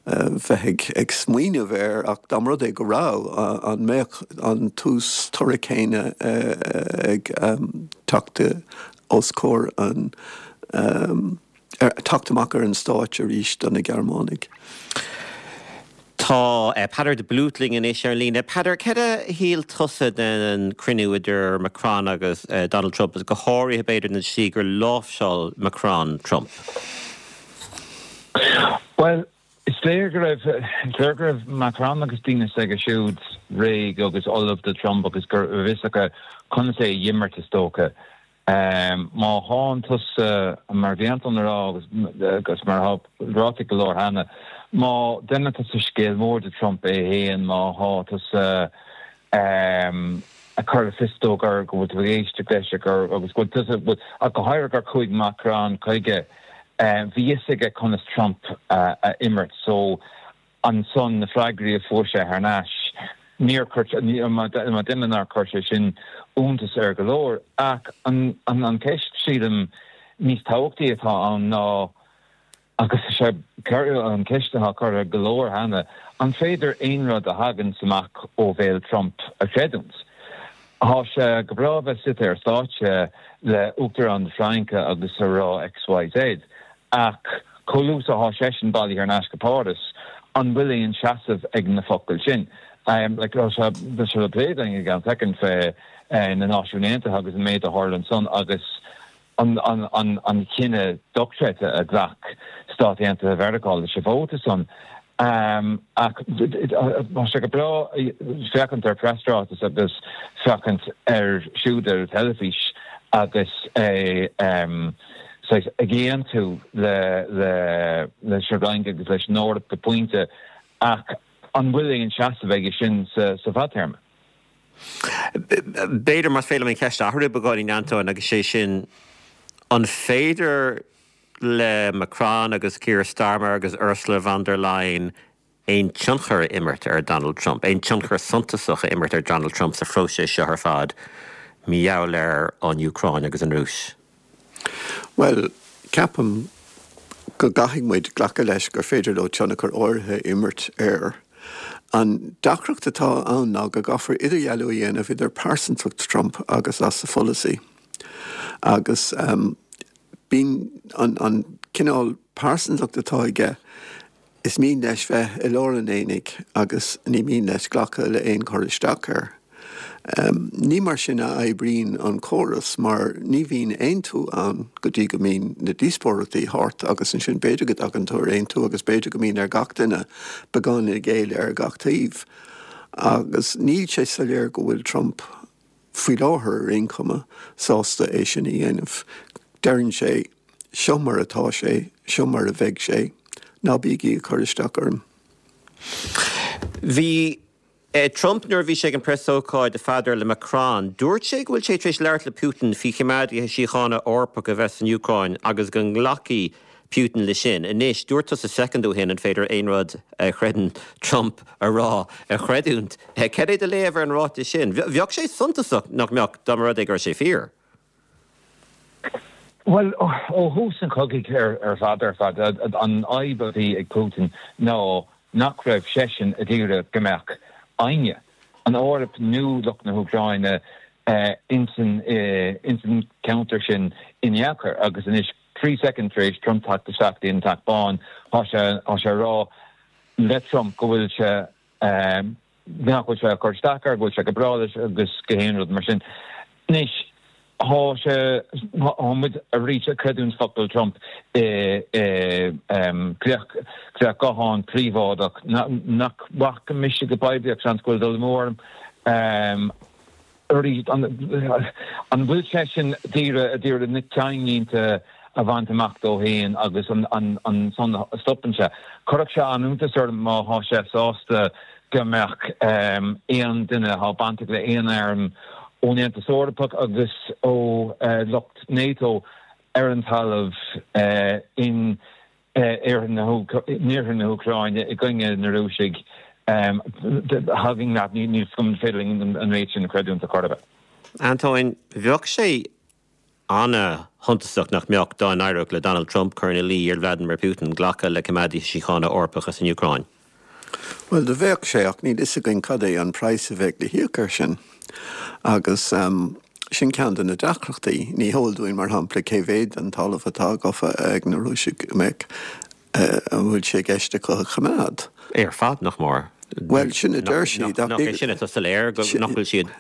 uh, bheith ag, ag smaoineamh air ach dá mba rud é go raibh uh, an mbeadh an tús toradh céanna uh, ag um, teacht os comhair an um, teacht amach ar an stáitse arís do na Gearmánaigh. Tá Peadar de Blúit linn anois ar líne. Peadar, céard a shíl tusa den cruinniú idir Macron agus Donald Trump, go háirithe b'fhéidir na sí gur láimhseáil Macron Trump? Well, is léir go raibh léir go raibh Macron agus daoine s'aige siúd réidh agus ullamh do Trump agus gur bhfios acu conas é a imirt is dócha. Um, má thánn tusa mar bhí Anton ag rá agus, agus mar ráite go leor cheana, má déanann tusa scéal mór de Trump é féin má thá tusa um, ag cur fios dó gur go bhfuil tú ag éisteacht leis gur agus go bhfuil tusa go háirithe gur chuaigh Macron chuige um, bhí fhios aige conas Trump uh, a imirt so ansan na freagraí a fuair sé thar n-ais níor má duine nár chuir sé sin iontas ar go leor ach an, an, an ceist sílim níos tábhachtaí atá ann ná agus sé an ceist atá curtha go leor cheana an féidir aon rud a thagann amach ó bhéal Trump a chreidiúint. Tá sé go breá bheith suite ar stáitse le Uachtarán na Fraince agus a rá XYZ ach chomh luath is atá seisean bailithe thar n-ais go Páras an bhfuil aon seasamh ag na focail sin. Um, like, sé sé le plé ag an second fé uh, na Náisiúin Aontaithe agus an méid a tharla ansan agus an, an, an, an cinneadh dochreidte a ghlac Stáit Aontaithe Mheiriceá leis an vóta san. Um, ach tá sé go breá féachaint ar preasráiteas agus féachaint ar siúd ar teilifís agus é um, ag aontú le le leis an Fhrainc agus leis an Eoraip go pointe ach an bhfuil aon seasamh aige sin sa, sa fadtéarma. B'fhéidir más féidir an ceist a athrú beagáinín Anton agus sé sin an féidir le Macron agus Keir Starmer agus Ursula von der Leyen aon tionchar a imirt ar Donald Trump, aon tionchar suntasach a imirt ar Donald Trump sa phróiseas seo ar fad, mar gheall ar an Úcráin agus an Rúis. Well, ceapaim go gcaithfidh muid glacadh leis gur féidir leo tionchar áirithe imirt air. An deacracht atá ann ná go gcaithfear idirdhealú a dhéanamh idir pearsantacht Trump agus as a pholasaí. Agus um, bíonn an, an cineál pearsantacht atá aige is mian leis bheith i lár an aonaigh agus ní mian leis glacadh le aon chur isteach air. Um, ní mar sin a oibríonn an córas mar ní bhíonn aontú ann go dtí go mbíonn na díospóireachtaí thart agus ansin b'fhéidir go dtagann tú ar aontú agus b'fhéidir go mbíonn ar gach duine beagán ag géilleadh ar gach taobh. Agus níl sé soiléir go bhfuil Trump faoi láthair ar aon chuma sásta é sin a dhéanamh. Deireann sé seo mar atá sé, seo mar a bheidh sé, ná bígí ag cur isteach orm. Bhí Eh, Trump nuair a bhí sé ag an preasócáid a Pheadair le Macron, dúirt sé go bhfuil sé tar éis labhairt le Putin faoi choimeádaithe síochána Eorpacha a bheith san Úcráin agus go nglacfaidh Putin leis sin. Anois dúirt tusa soicind ó shin an féidir aon rud a chreideann Trump a rá a chreidiúint. Eh, cad é do léamh ar an ráiteas sin. Bheadh sé suntasach nach mbeadh dá mba rud é go raibh sé fíor. Well ó thús an chogaidh ar ar fad ar fad an fhadhb a bhí ag Putin ná nach raibh seisean ag iarraidh go mbeadh éinne an Eoraip nó lucht na hÚcráine uh, insan uh, insan ceantar sin in aon chor agus anois trí second tar éis Trump teacht isteach an Teach Bán tá sé tá sé rá le Trump go bhfuil sé um, nach bhfuil sé ag cur isteach air go bhfuil sé go breá leis agus gach aon rud mar sin. Anois tá sé tá muid arís ag creidiúint focal Trump glaoch guthán príobháideach nach bhfaca mise go poiblí seans go bhfuil dul mór an bhfuil sé sin d'iarraidh d'iarraidh na ceannlínte a bhaint amach dó féin agus an an an son stopann sé. Chuirfeadh sé an-iontas orm má thá sé sásta go mbeadh aon duine atá bainteach le aon arm ón Aontas Eorpach agus ó uh, lucht NATO ar an talamh uh, in iarthar na na hÚcráine i gcoinne na Rúisigh um, hagging leat níl scum féidir an méid sin a chreidiúint a chor Antoine bheadh sé an-shuntasach nach mbeadh dá n-éireodh le Donald Trump cur ina luí ar Vladimir Putin glacadh le coimeádaithe síochána Eorpacha san Úcráin. Well do bheadh sé ach níl fhios againn cad é an praghas a bheidh le híoc air sin. Agus um, sin ceann de na deacrachtaí ní heol dúinn mar shampla cé mhéad den talamh atá gafa ag na Rúisigh mbeidh an bhfuil sé i gceist acu a choimeád. Ar fad, nach mór. Bhuel, sin a deir siad. Nach é sin atá soiléir, nach bhfuil siad,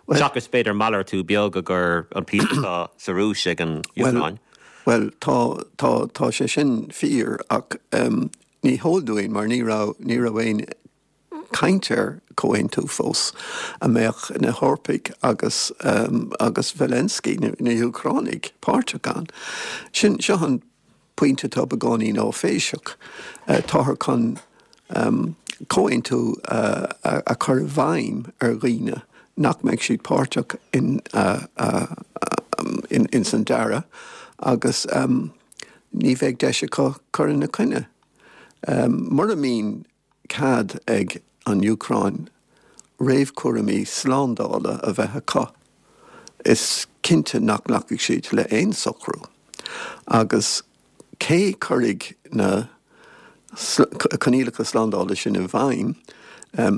seachas b'fhéidir malartú beag a gcur an píosa atá sa Rúis ag an Úcráin. Bhuel, tá, tá, tá sé sin fíor ach ní heol dúinn mar ní raibh, ní raibh aon caint ar chomhaontú fós a mbeadh na hEorpaigh agus agus Zelensky, na hÚcránaigh, páirteach ann. Sin, seo an pointe atá beagáinín áiféiseach. Táthar chun comhaontú a chur i bhfeidhm ar dhaoine nach mbeidh siad páirteach in ins an dearadh agus ní bheidh deis acu cur ina choinne. Mura mbíonn cead ag an Úcráin réamhchúraimí slándála a bheith acu, is cinnte nach nglacfaidh siad le haon socrú. Agus cé chuirfidh na coinníollacha slándála sin i bhfeidhm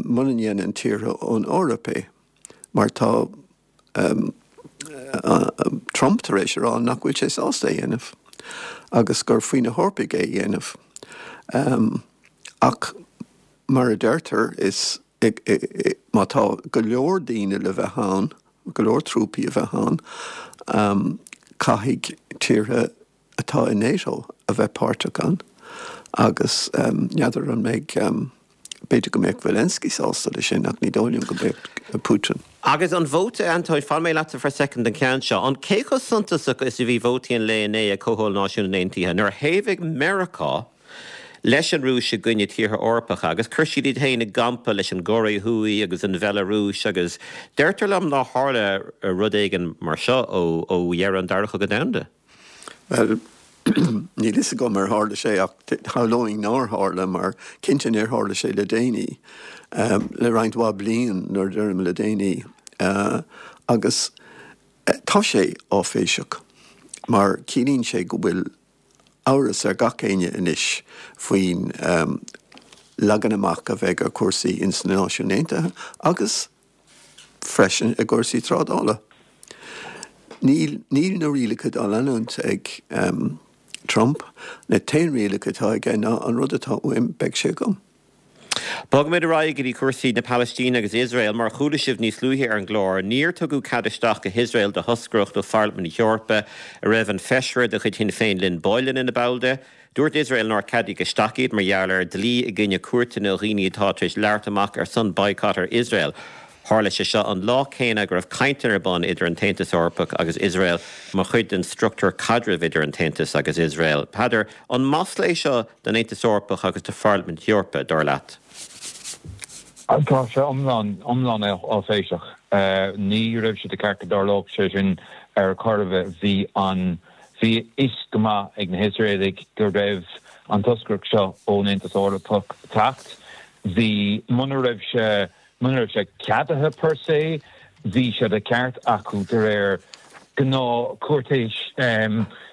mura ndéanann tíortha ón Eoraip é? Mar tá Trump tar éis a rá nach bhfuil sé sásta é a dhéanamh agus gur faoi na hEorpaigh é a dhéanamh. Ach mar a deirtear, is má tá go leor daoine le bheith ann, go leor trúpaí a bheith ann, caithfidh tíortha atá i NATO a bheith páirteach ann agus n'fheadar an mbeidh, b'fhéidir go mbeadh Zelensky sásta leis sin ach ní dóigh liom go mbeadh Putin. Agus an vóta, Antóin, fanfaidh mé leatsa for a second don cheann seo. An cé chomh suntasach is a bhí vótaí an lae inné ag Comhdháil Náisiún Aontaithe nuair a thaobhaigh Meiriceá leis an Rúis i gcoinne tíortha Eorpacha agus chuir siad iad féin i gcampa leis an gCóiré Thuaidh agus an Bhealarúis agus deirtear liom nár tharla rud éigin mar seo ó dheireadh an Dara Cogadh Domhanda. Bhuel, níl fhios agam ar tharla sé ach shamhlóinn nár tharla mar cinnte níor tharla sé le déanaí, le roinnt mhaith bliain nuair a deirim le déanaí. Agus tá sé áiféiseach mar ciallaíonn sé go bhfuil amhras ar gach éinne anois faoin leagan amach a bheidh ar chúrsaí ins na Náisiúin Aontaithe agus freisin i gcúrsaí trádála. Níl níl na rialacha á leanúint ag Trump. Na t-aon rialacha atá aige ná an rud atá uaim beidh sé agam. Bogfaimid ar aghaidh go dtí cúrsaí na Palaistíne agus Iosrael. Mar a chuala sibh níos luaithe ar an gclár, níor tugadh cead isteach go hIosrael do thoscaireacht ó Pharlaimint na hEorpa a raibh an feisire de chuid Shinn Féin Lynn Boylan ina ball de. Dúirt Iosrael nár ceadaíodh isteach iad mar gheall ar dlí i gcoinne cuairteanna ó dhaoine atá tar éis labhairt amach ar son boycott ar Iosrael. Tharla sé seo an lá céanna go raibh cainteanna ar bun idir an tAontas Eorpach agus Iosrael mar chuid den struchtúr caidrimh idir an tAontas agus Iosrael. Peadar, an masla é seo don Aontas Eorpach agus do Pharlaimint na hEorpa, dar leat? Tá sé iomlán, iomlán áiféiseach. Ní raibh sé de cheart go dtarlódh sé sin ar chor ar bith. Bhí an, bhí a fhios go maith ag na hIosraelaigh go raibh an toscaireacht seo ón Aontas Eorpach ag teacht. Bhí, muna raibh sé, Muna raibh sé ceadaithe per se, bhí sé de cheart acu de réir gnáth cúirtéis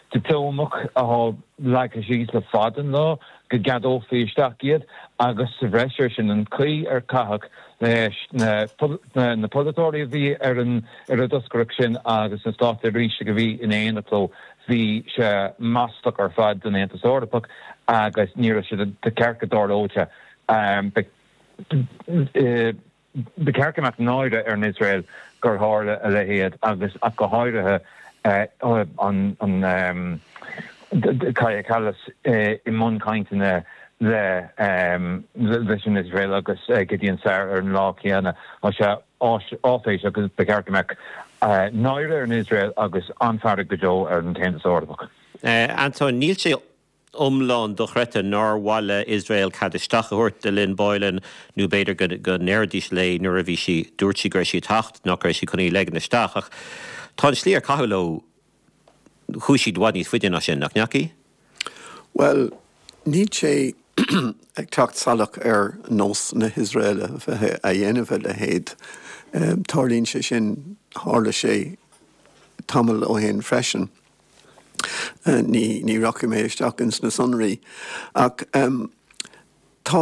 dioplómach atá leagtha síos le fada an lá go gceadófaí isteach iad agus sa bhreis air sin an chaoi ar caitheadh leis na polaiteoirí a bhí ar an ar an dtoscaireacht sin agus na státseirbhísigh a bhí in éineacht leo bhí sé maslach ar fad don Aontas Eorpach agus ní raibh sé de cheart go dtarlódh sé. Ba cheart go mbeadh náire ar an Iosrael gur tharla a leithéid agus ach go háirithe an Kaja Kallas i mbun cainteanna le leis an Iosrael agus Gideon Sa'ar ar an lá céanna. Tá sé áiféiseach agus ba cheart go mbeadh náire ar an Iosrael agus an-fhearg go deo ar an tAontas Eorpach. Antóin, níl sé iomlán dochreidte nár mhaith le Iosrael cead isteach a thabhairt do Lynn Boylan nó b'fhéidir go go ndéarfaidís léi nuair a bhí sí, dúirt sí go raibh sí ag teacht, nach raibh sí chun í a ligean isteach ach tá an slí ar caitheadh leo, chuaigh siad i bhfad níos faide ná sin, nach ndeachaigh? Bhuel, níl sé ag teacht salach ar nós na hIosraeile a bheith a dhéanamh a leithéid. Tarlaíonn sé sin, tharla sé tamall ó shin freisin. Ní ní rachaidh mé isteach ins na sonraí ach tá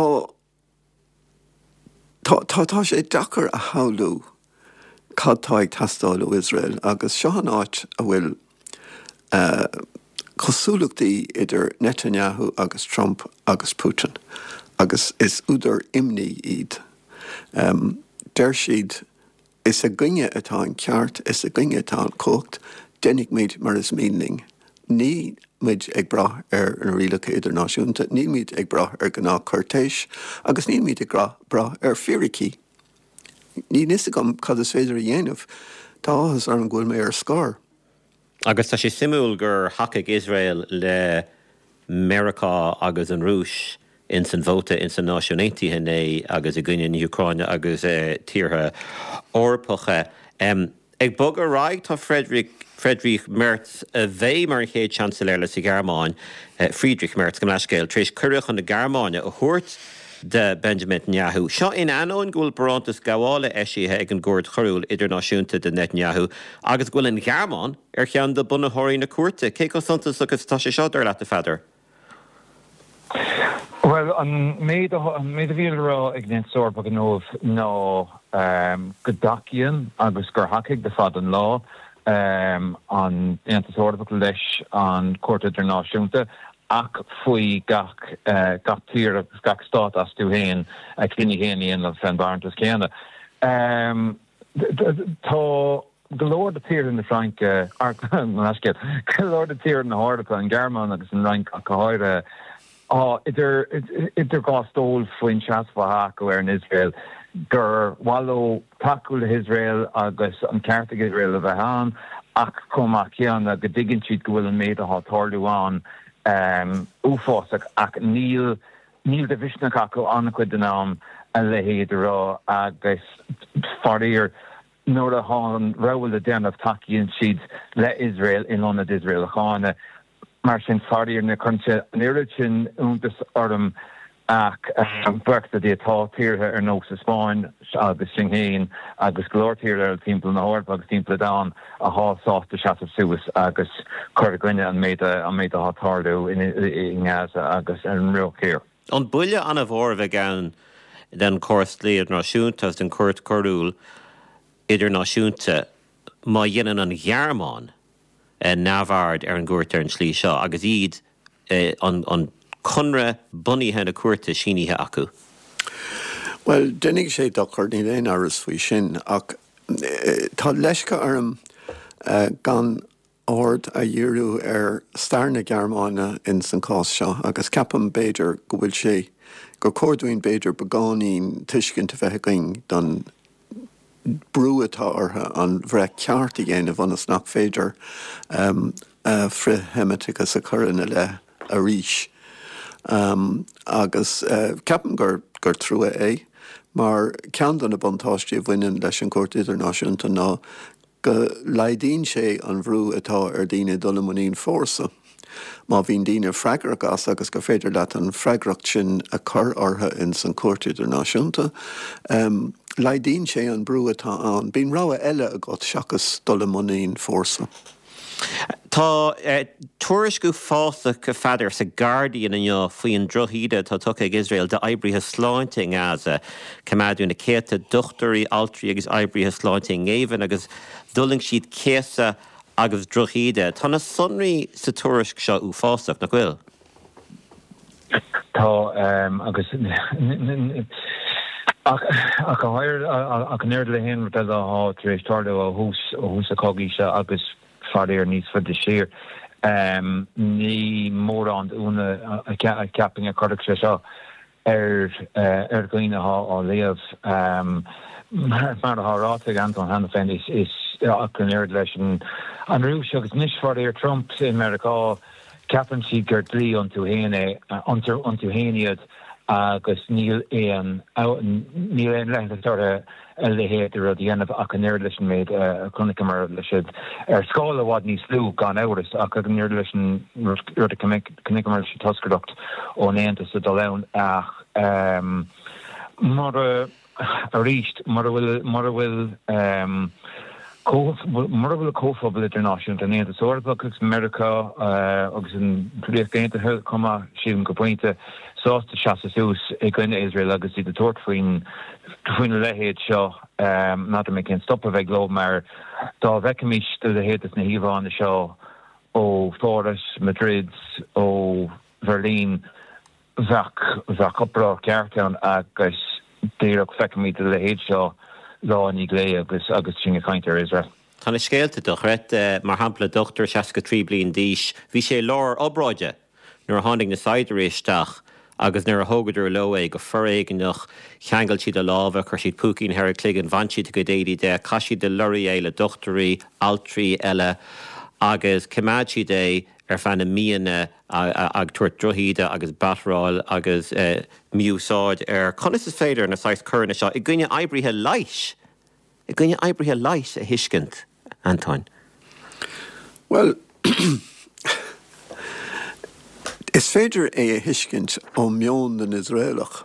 tá tá tá sé deacair a shamhlú cad tá ag teastáil ó Iosrael agus seo an áit a bhfuil cosúlachtaí idir Netanyahu agus Trump agus Putin, agus is údar imní iad. Deir siad, is againne atá an ceart, is againne atá an chumhacht, déanfaimid mar is mian linn. Níl muid ag brath ar na rialacha idirnáisiúnta, níl muid ag brath ar ghnáthchúirtéis agus níl muid ag brath ar fíricí. Níl fhios agam cad is féidir a dhéanamh. Tá áthas orm go bhfuil mé ar scor. Agus tá sé suimiúil gur thacaigh Iosrael le Meiriceá agus an Rúis ins an vóta ins an Náisiún Aontaithe inné agus i gcoinne na hÚcráine agus tíortha Eorpacha. Ag bogadh ar aghaidh tá Frederick Friedrich Merz, a bheidh mar an chéad Seansailéir sa Ghearmáin, Friedrich Merz, gabh mo leithscéal, tar éis cuireadh chun na Gearmáine a thabhairt do Benjamin Netanyahu. Seo in ainneoin go bhfuil barántas gabhála eisithe ag an gCúirt Choiriúil Idirnáisiúnta do Netanyahu agus go bhfuil an Ghearmáin ar cheann de bunaitheoirí na cúirte. Cé chomh suntasach is atá sé seo, dar leat, a Pheadair? Bhuel, an méid an méid a bhí le rá ag an Aontas Eorpach inniu ná go dtacaíonn agus gur thacaigh le fada an lá an Aontas Eorpach leis an Chúirt Idirnáisiúnta ach faoi gach gach tír agus gach stát astu féin a cinneadh féin a dhéanamh fén bharántas céanna. Tá go leor de tíortha na Fraince, go leor de tíortha na hEorpa, an Ghearmáin agus an Fhrainc ach go háirithe, Tá idir idir dhá stól faoin seasamh atá acu ar an Iosrael, gur mhaith leo tacú le hIosrael agus an ceart ag Iosrael a bheith ann, ach chomh maith céanna go dtuigeann siad go bhfuil an méid atá ag tarlú ann uafásach ach níl níl de mhisneach acu an-chuid den am a leithéid a rá agus faraor nuair atá an rogha le déanamh tacaíonn siad le Iosrael in ionad Iosrael a cháineadh. Mar sin, faraor, ní chuireann sé an oiread sin iontais orm ach buíochas le Dia tá tíortha ar nós an Spáinn agus sinn féin agus go leor tíortha eile timpeall na hEorpa agus timpeall an domhain athá sásta seasamh suas agus cur i gcoinne an méid an méid athá ag tarlú i nGaza agus ar an mBruach Thiar. An buille an-mhór a bheidh ann don chóras dlí idirnáisiúnta agus don Chúirt Choiriúil Idirnáisiúnta má dhéanann an Ghearmáin neamhaird ar an gcúirt ar an tslí seo agus iad an conradh bunaithe na cúirte sínithe acu. Bhuel, déanfaidh sé dochar, níl aon amhras faoi sin, ach tá leisce orm gan aird a dhíriú ar stair na Gearmáine ins an cás seo agus ceapaim b'fhéidir go bhfuil sé, gur chóir dúinn b'fhéidir beagáinín tuiscint a bheith againn don brú atá orthu an bhreith ceart a dhéanamh ionas nach féidir frith-Sheimiteachas a chur ina leith arís. Agus ceapaim gur gur trua é, mar ceann de na buntáistí a bhaineann leis an gCúirt Idirnáisiúnta ná go laghdaíonn sé an bhrú atá ar dhaoine dul i muinín fórsa. Má bhíonn daoine freagrach as agus gur féidir leat an freagracht sin a chur orthu ins an Chúirt Idirnáisiúnta, laghdaíonn sé an brú atá ann. Bíonn rogha eile agat seachas dul i muinín fórsa. Tá tuairisc uafásach, a Pheadair, sa Guardian inniu faoi an drochíde atá tugtha ag Iosrael d'oibrithe sláinte i nGaza. Coimeádadh na céadta dochtúirí, altraí agus oibrithe sláinte i ngéibheann agus d'fhulaing siad céasadh agus drochíde. Tá na sonraí sa tuairisc seo uafásach, nach bhfuil? Tá, agus ach ach an oiread le haon rud eile atá tar éis tarlú ó thús ó thús an chogaidh seo agus faraor níos faide siar, ní mórán d'ionadh a cheapfainn a chuirfeadh sé seo ar ar dhaoine atá á léamh. Mar atá ráite ag Antóin cheana féin, is ach an oiread leis an Rúis agus anois faraor Trump i Meiriceá, ceapann siad gur dlí iontu féin é, iontu féin iad agus níl aon níl aon leithreas orthu a leithéid de rud a dhéanamh ach an oiread leis an méid a chonaiceamar leis siad ar scála i bhfad níos lú gan amhras ach an oiread leis an rud a chonaiceamar leis an toscaireacht ón Aontas ag dul ann ach mura Arís, mura bhfuil, mura bhfuil, mura bhfuil comhphobal idirnáisiúnta, an Aontas Eorpach agus Meiriceá agus an Ríocht Aontaithe chomh maith, sílim go pointe, sásta seasamh suas i gcoinne Iosrael agus iad ag tabhairt faoin, faoina leithéid seo, n'fheadar mé cén stop a bheidh leo mar dá bhfeicfimis do leithéid de na híomhánna seo, ó Pháras, Madrid, ó Bheirlín, bheadh bheadh uproar ceart ann agus díreach feicimid a leithéid seo lá i ndiaidh lae agus agus sinn ag caint ar Iosrael. Tá na scéalta dochreidte, mar shampla dochtúir seasca trí bliain d'aois, bhí sé i lár obráide nuair a tháinig na saighdiúirí isteach agus nuair a thógadar leo é go foréigneach, cheangail siad a lámha, chuir siad púicín thar a chloigeann, bhain siad a chuid éadaí de, chaith siad i lorraí é le dochtúirí, altraí eile agus choimeád siad é ar feadh na míonna ag tabhairt drochíde agus batteráil agus mí-úsáid air. Conas is féidir na saghas coireanna seo i gcoinne oibrithe leighis, i gcoinne oibrithe leighis a thuiscint, Antoin? Bhuel, is féidir é a thuiscint ó mheon na nIosraelach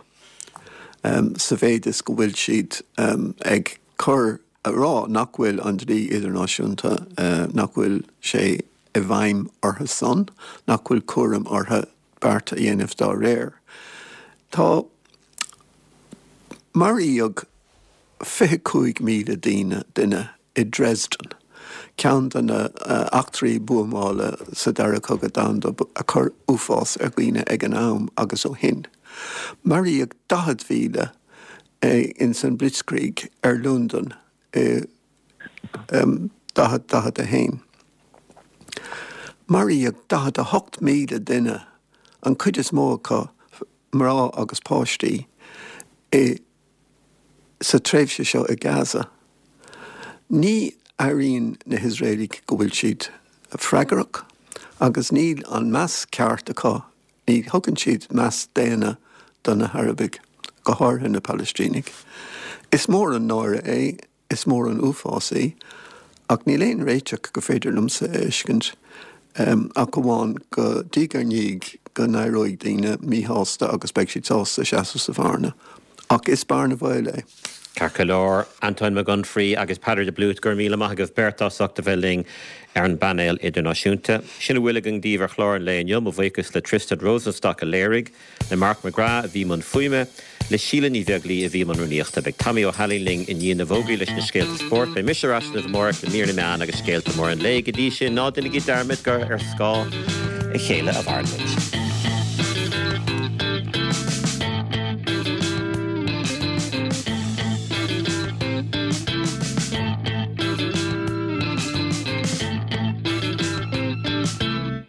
sa mhéid is go bhfuil siad ag cur a rá nach bhfuil an dlí idirnáisiúnta, nach bhfuil sé i bhfeidhm orthu san, nach bhfuil cúram orthu beart a dhéanamh dá réir. Tá maraíodh fiche cúig míle daoine, duine i Dresden, ceann de na eachtraí buamála sa Dara Cogadh Domhanda a chuir uafás ar dhaoine ag an am agus ó shin. Maraíodh daichead mhíle ins an Blitzkrieg ar Londain i daichead daichead a haon. Maraíodh daichead a hocht míle duine, an chuid is mó acu mná agus páistí, i sa tréimhse seo i Gaza. Ní airíonn na hIosraelaigh go bhfuil siad freagrach agus níl an meas ceart acu, ní thugann siad meas daonna do na hArabaigh, go háirithe na Palaistínigh. Is mór an náire é, is mór an uafás é, ach níl aon réiteach go féidir liomsa a fheiscint ach amháin go diaidh ar ndiaidh go n-éireoidh daoine míshásta agus beidh siad sásta seasamh sa bhearna. Ach is bearna bhaoil é. Ceart go leor, Antoin Mac Unfraidh agus Peadar de Blúit, go raibh míle maith agaibh beirt as ucht a bheith linn ar an bpainéal idirnáisiúnta. Sin a bhfuil againn daoibh ar chlár an lae inniu. Mo bhuíochas le Tristan Rosenstock a léirigh, le Mark McGrath a bhí i mbun fuaime, le Síle Ní Bheaglaoi a bhí i mbun rúnaíochta. Beidh Tommy Ó hAilín linn i ndiaidh na bhfógraí leis na scéalta spóirt. Beidh mise ar ais libh amárach le mír na meán agus scéalta móra an lae. Go dtí sin, ná déanaigí dearmad gur ar scáth a chéile a mhaireann muid.